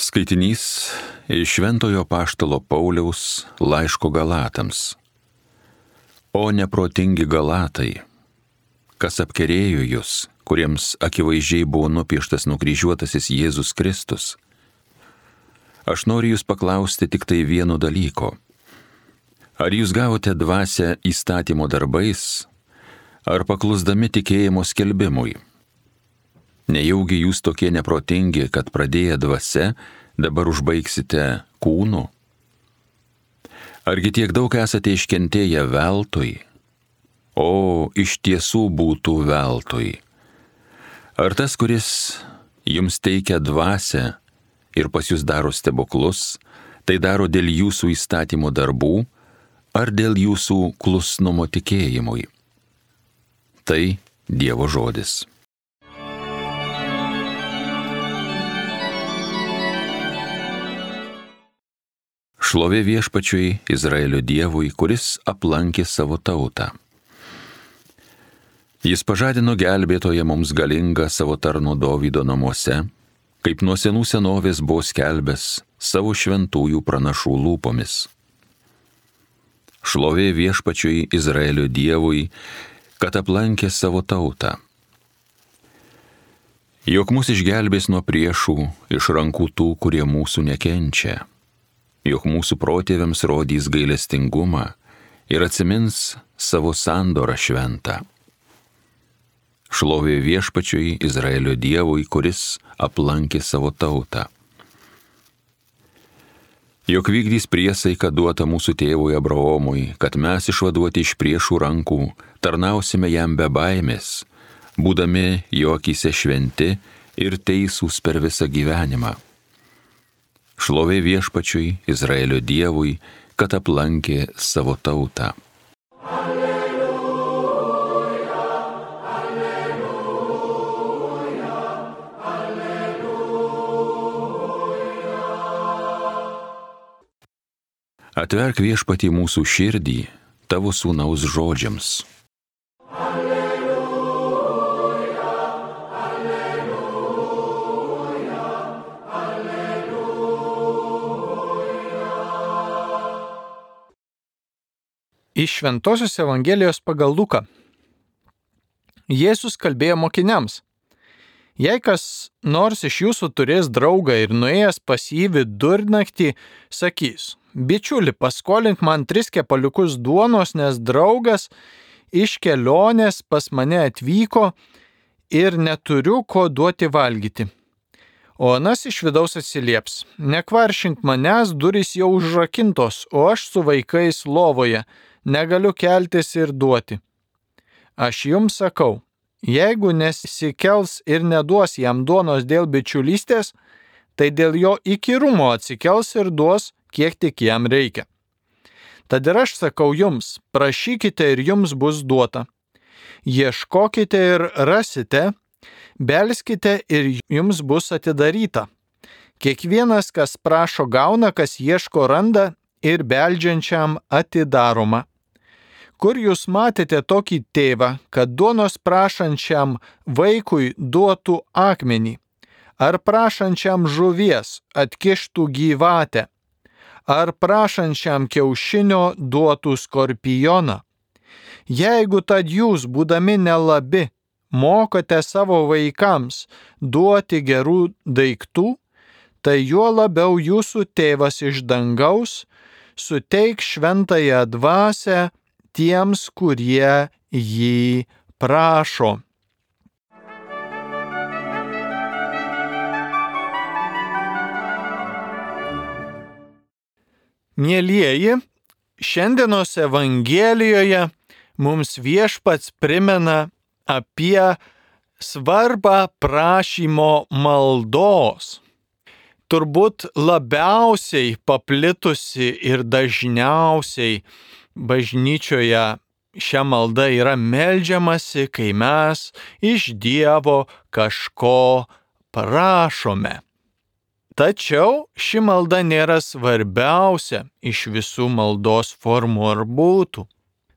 Skaitinys iš Šventojo Apaštalo Pauliaus laiško Galatams. O neprotingi Galatai, kas apkerėjo jūs, kuriems akivaizdžiai buvo nupieštas nukryžiuotasis Jėzus Kristus. Aš noriu jūs paklausti tik tai vieno dalyko. Ar jūs gavote dvasią įstatymo darbais, ar paklusdami tikėjimo skelbimui? Nejaugi jūs tokie neprotingi, kad pradėję dvasia, dabar užbaigsite kūnu? Argi tiek daug esate iškentėję veltui? O, iš tiesų būtų veltui. Ar tas, kuris jums teikia dvasią ir pas jūs daro stebuklus, tai daro dėl jūsų įstatymo darbų, ar dėl jūsų klusnumo tikėjimui? Tai Dievo žodis. Šlovė Viešpačiui, Izraelio Dievui, kuris aplankė savo tautą. Jis pažadino gelbėtoją mums galingą savo tarno Dovydo namuose, kaip nuo senų senovės buvo skelbęs savo šventųjų pranašų lūpomis. Šlovė Viešpačiui, Izraelio Dievui, kad aplankė savo tautą. Jog mus išgelbės nuo priešų iš rankų tų, kurie mūsų nekenčia. Jog mūsų protėviams rodys gailestingumą ir atsimins savo sandorą šventą. Šlovė Viešpačiui, Izraelio Dievui, kuris aplankė savo tautą. Jog vykdys priesaiką duotą mūsų tėvui Abraomui, kad mes išvaduoti iš priešų rankų tarnausime jam be baimės, būdami jo akyse šventi ir teisūs per visą gyvenimą. Šlovė Viešpačiui, Izraelio Dievui, kad aplankė savo tautą. Alleluja, alleluja, alleluja. Atverk Viešpatį mūsų širdį tavo sūnaus žodžiams. Iš Šventosios Evangelijos pagal Luką. Jėzus kalbėjo mokiniams: Jei kas nors iš jūsų turės draugą ir nuėjęs pas jį vidurnaktį, sakys: Bičiuli, paskolink man 3 kepaliukus duonos, nes draugas iš kelionės pas mane atvyko ir neturiu ko duoti valgyti. O anas iš vidaus atsilieps: Nekvaršink manęs, durys jau užrakintos, o aš su vaikais lovoje. Negaliu keltis ir duoti. Aš jums sakau, jeigu nesikels ir neduos jam duonos dėl bičiulystės, tai dėl jo įkyrumo atsikels ir duos, kiek tik jam reikia. Tad ir aš sakau jums, prašykite ir jums bus duota. Ieškokite ir rasite, belskite ir jums bus atidaryta. Kiekvienas, kas prašo, gauna, kas ieško, randa ir beldžiančiam atidaroma. Kur jūs matėte tokį tėvą, kad duonos prašančiam vaikui duotų akmenį, ar prašančiam žuvies atkištų gyvatę, ar prašančiam kiaušinio duotų skorpioną? Jeigu tad jūs, būdami nelabi, mokate savo vaikams duoti gerų daiktų, tai juo labiau jūsų tėvas iš dangaus suteiks šventąją dvasią tiems, kurie jį prašo. Mielieji, šiandienos Evangelijoje mums Viešpats primena apie svarbą prašymo maldos. Turbūt labiausiai paplitusi ir dažniausiai bažnyčioje šią maldą yra meldžiamasi, kai mes iš Dievo kažko prašome. Tačiau ši malda nėra svarbiausia iš visų maldos formų ar būtų.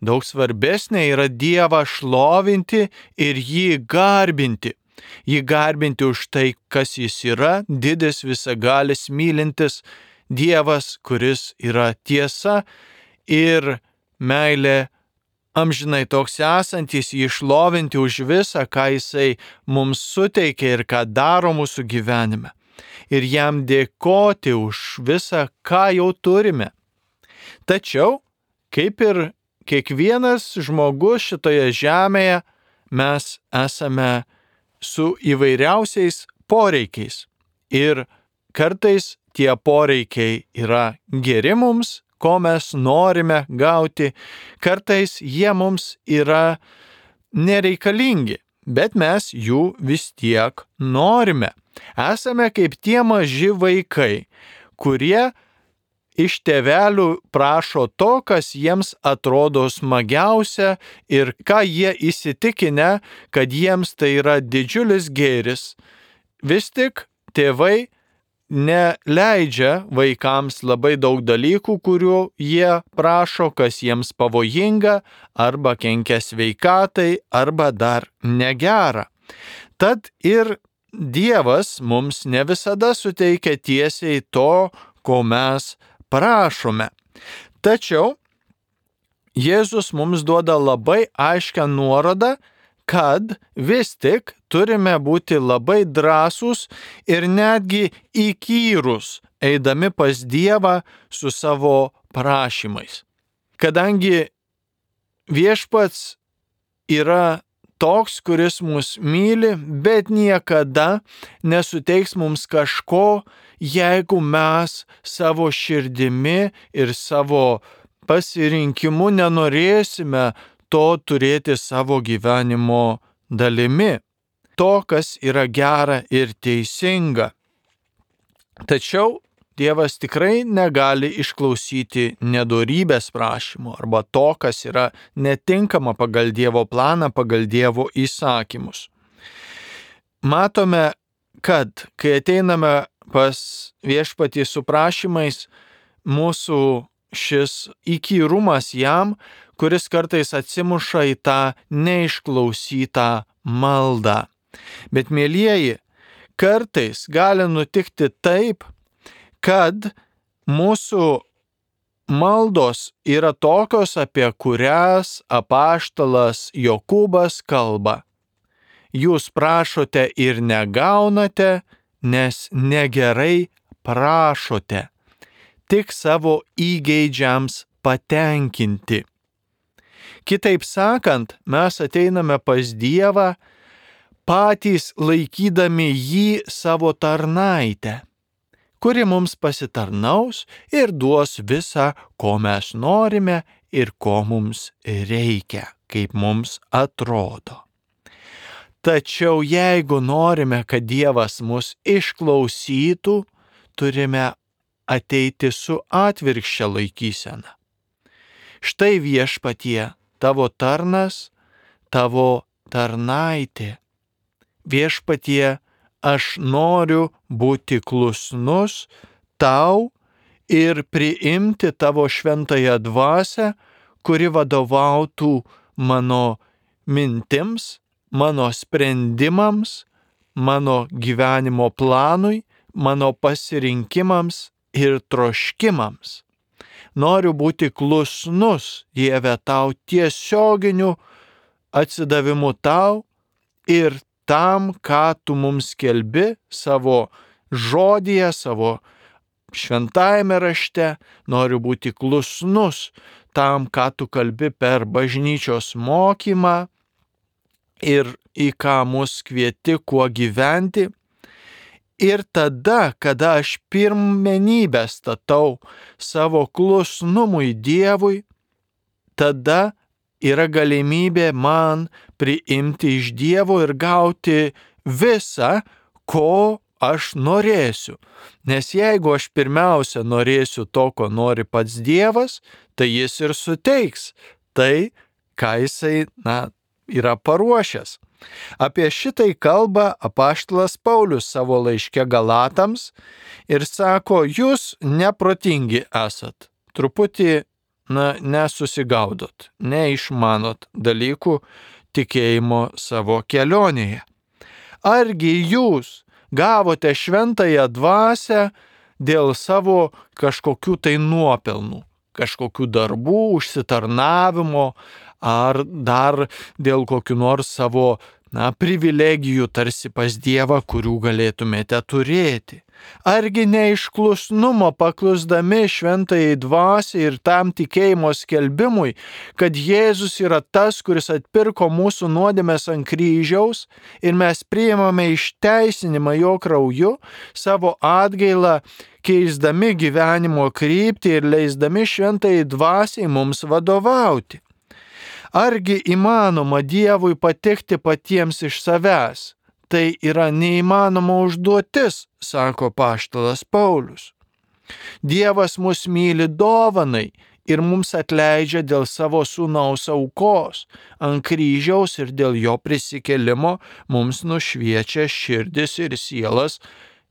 Daug svarbesnė yra Dievą šlovinti ir jį garbinti, jį garbinti už tai, kas jis yra, didis, visagalis, mylintis Dievas, kuris yra tiesa ir meilė amžinai toks esantis, jį šlovinti už visą, ką jisai mums suteikia ir ką daro mūsų gyvenime. Ir jam dėkoti už visą, ką jau turime. Tačiau, kaip ir kiekvienas žmogus šitoje žemėje, mes esame su įvairiausiais poreikiais. Ir kartais tie poreikiai yra geri mums, ko mes norime gauti, kartais jie mums yra nereikalingi, bet mes jų vis tiek norime. Esame kaip tie maži vaikai, kurie iš tėvelių prašo to, kas jiems atrodo smagiausia ir ką jie įsitikinę, kad jiems tai yra didžiulis gėris. Vis tik tėvai neleidžia vaikams labai daug dalykų, kurių jie prašo, kas jiems pavojinga, arba kenkia sveikatai, arba dar negera. Tad ir Dievas mums ne visada suteikia tiesiai to, ko mes prašome. Tačiau Jėzus mums duoda labai aiškią nuorodą, kad vis tik turime būti labai drąsūs ir netgi įkyrūs, eidami pas Dievą su savo prašymais. Kadangi Viešpats yra toks, kuris mus myli, bet niekada nesuteiks mums kažko, jeigu mes savo širdimi ir savo pasirinkimu nenorėsime to turėti savo gyvenimo dalimi, to, kas yra gera ir teisinga. Tačiau Dievas tikrai negali išklausyti nedorybės prašymų arba to, kas yra netinkama pagal Dievo planą, pagal Dievo įsakymus. Matome, kad kai ateiname pas Viešpatį su prašymais, mūsų šis įkyrumas jam, kuris kartais atsimuša į tą neišklausytą maldą. Bet, mielieji, kartais gali nutikti taip, kad mūsų maldos yra tokios, apie kurias apaštalas Jokūbas kalba. Jūs prašote ir negaunate, nes negerai prašote, tik savo įgeidžiams patenkinti. Kitaip sakant, mes ateiname pas Dievą, patys laikydami jį savo tarnaitę, kuri mums pasitarnaus ir duos visą, ko mes norime ir ko mums reikia, kaip mums atrodo. Tačiau jeigu norime, kad Dievas mus išklausytų, turime ateiti su atvirkščia laikysena. Štai Viešpatie, tavo tarnas, tavo tarnaitė. Viešpatie, aš noriu būti klusnus tau ir priimti tavo šventąją dvasią, kuri vadovautų mano mintims, mano sprendimams, mano gyvenimo planui, mano pasirinkimams ir troškimams. Noriu būti klusnus, Dieve, tau tiesioginiu atsidavimu tau ir tam, ką tu mums skelbi savo žodyje, savo šventajame rašte. Noriu būti klusnus tam, ką tu kalbi per bažnyčios mokymą ir į ką mus kvieti, kuo gyventi. Ir tada, kada aš pirmenybę statau savo klusnumui Dievui, tada yra galimybė man priimti iš Dievo ir gauti visą, ko aš norėsiu. Nes jeigu aš pirmiausia norėsiu to, ko nori pats Dievas, tai jis ir suteiks tai, ką jisai, yra paruošęs. Apie šitai kalba apaštalas Paulius savo laiške Galatams ir sako, jūs neprotingi esat, truputį nesusigaudot, neišmanot dalykų tikėjimo savo kelionėje. Argi jūs gavote šventąją dvasią dėl savo kažkokių tai nuopelnų, kažkokių darbų, užsitarnavimo ar dar dėl kokių nors savo privilegijų tarsi pas Dievą, kurių galėtumėte turėti. Argi ne iš klusnumo paklusdami šventajai dvasiai ir tam tikėjimo skelbimui, kad Jėzus yra tas, kuris atpirko mūsų nuodėmes ant kryžiaus ir mes priimame išteisinimą jo krauju, savo atgailą keisdami gyvenimo kryptį ir leisdami šventajai dvasiai mums vadovauti. Argi įmanoma Dievui patikti patiems iš savęs? Tai yra neįmanoma užduotis, sako apaštalas Paulius. Dievas mus myli dovanai ir mums atleidžia dėl savo sūnaus aukos ant kryžiaus ir dėl jo prisikėlimo mums nušviečia širdis ir sielas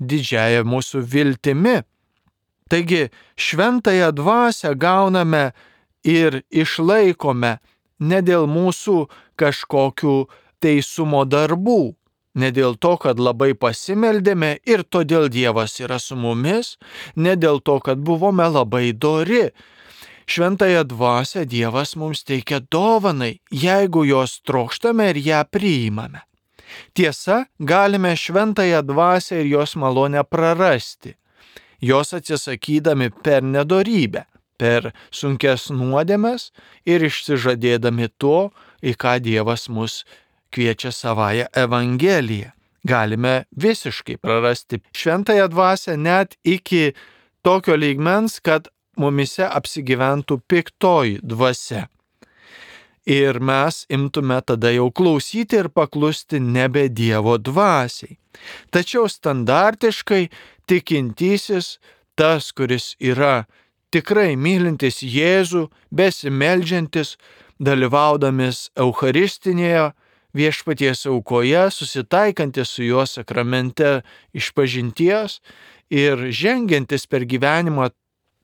didžiąja mūsų viltimi. Taigi šventąją dvasią gauname ir išlaikome ne dėl mūsų kažkokių teisumo darbų, ne dėl to, kad labai pasimeldėme ir todėl Dievas yra su mumis, ne dėl to, kad buvome labai dori. Šventąją dvasią Dievas mums teikia dovanai, jeigu jos trokštame ir ją priimame. Tiesa, galime šventąją dvasią ir jos malonę prarasti, jos atsisakydami per nedorybę, per sunkes nuodėmes ir išsižadėdami to, į ką Dievas mus kviečia savąją Evangeliją. Galime visiškai prarasti šventąją dvasią net iki tokio lygmens, kad mumise apsigyventų piktoji dvasia. Ir mes imtume tada jau klausyti ir paklusti nebe Dievo dvasiai. Tačiau standartiškai tikintysis, tas, kuris yra tikrai mylintis Jėzų, besimeldžiantis, dalyvaudamis Eucharistinėje viešpaties aukoje, susitaikantis su juo sakramente išpažinties ir žengiantis per gyvenimą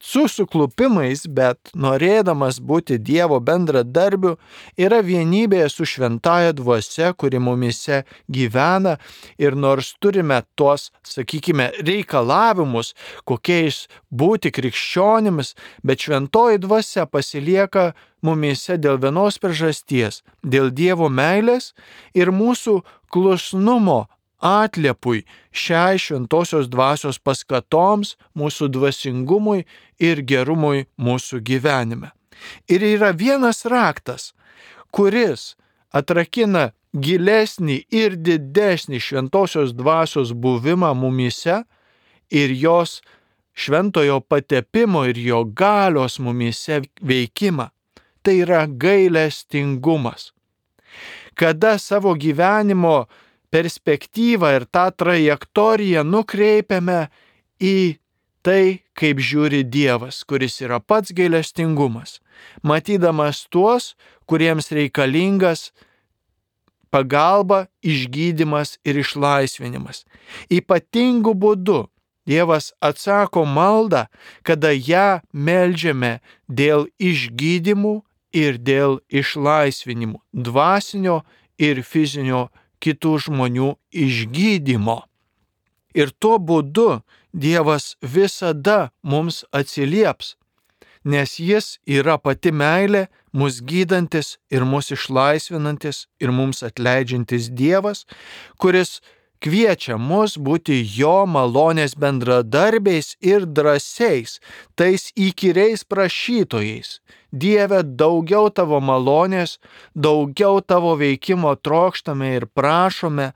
su suklupimais, bet norėdamas būti Dievo bendradarbiu, yra vienybėje su šventąja dvasia, kuri mumise gyvena, ir nors turime tuos, sakykime, reikalavimus, kokiais būti krikščionimis, bet šventoji dvasia pasilieka mumise dėl vienos priežasties, dėl Dievo meilės ir mūsų klusnumo atliepui šiai šventosios dvasios paskatoms, mūsų dvasingumui ir gerumui mūsų gyvenime. Ir yra vienas raktas, kuris atrakina gilesnį ir didesnį šventosios dvasios buvimą mumise ir jos šventojo patepimo ir jo galios mumise veikimą. Tai yra gailestingumas. Kada savo gyvenimo perspektyvą ir tą trajektoriją nukreipiame į tai, kaip žiūri Dievas, kuris yra pats gailestingumas, matydamas tuos, kuriems reikalingas pagalba, išgydymas ir išlaisvinimas. Ypatingu būdu Dievas atsako maldą, kada ją meldžiame dėl išgydymų ir dėl išlaisvinimų, dvasinio ir fizinio kitų žmonių išgydymo. Ir tuo būdu Dievas visada mums atsilieps, nes jis yra pati meilė, mus gydantis ir mus išlaisvinantis ir mums atleidžiantis Dievas, kuris kviečia mus būti jo malonės bendradarbiais ir drąsiais, tais įkyriais prašytojais. Dieve, daugiau tavo malonės, daugiau tavo veikimo trokštame ir prašome.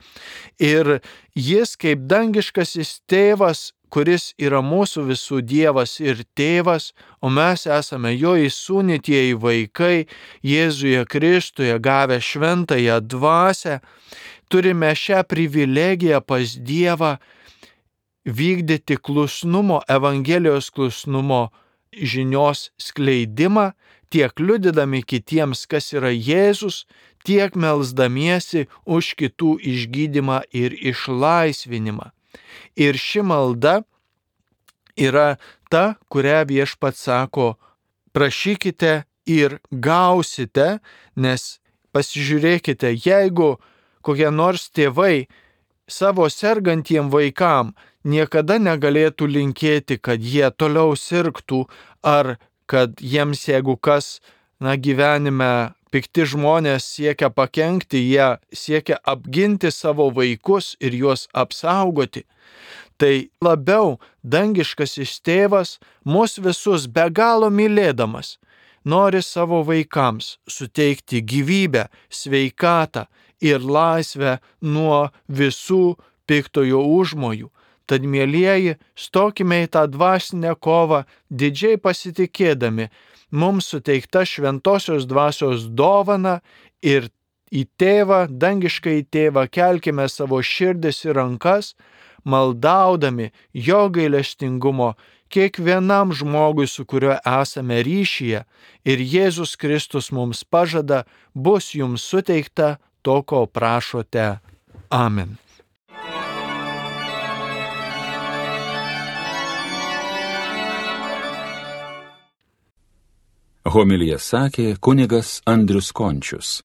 Ir jis kaip dangiškasis tėvas, kuris yra mūsų visų Dievas ir tėvas, o mes esame jo įsūnytieji vaikai, Jėzuje Kristuje gavę šventąją dvasią, turime šią privilegiją pas Dievą vykdyti klusnumo, Evangelijos klusnumo žinios skleidimą, tiek liudydami kitiems, kas yra Jėzus, tiek melsdamiesi už kitų išgydymą ir išlaisvinimą. Ir ši malda yra ta, kurią Viešpats sako, prašykite ir gausite, nes pasižiūrėkite, jeigu kokie nors tėvai savo sergantiem vaikam niekada negalėtų linkėti, kad jie toliau sirgtų ar kad jiems, jeigu kas, gyvenime pikti žmonės siekia pakenkti, jie siekia apginti savo vaikus ir juos apsaugoti. Tai labiau dangiškasis tėvas mus visus be galo mylėdamas nori savo vaikams suteikti gyvybę, sveikatą ir laisvę nuo visų piktojo užmojų. Tad, mielieji, stokime į tą dvasinę kovą, didžiai pasitikėdami mums suteikta šventosios dvasios dovana ir į tėvą, dangišką į tėvą kelkime savo širdis ir rankas, maldaudami jo gailestingumo kiekvienam žmogui, su kuriuo esame ryšyje, ir Jėzus Kristus mums pažada, bus jums suteikta to, ko prašote. Amen. Homiliją sakė kunigas Andrius Končius.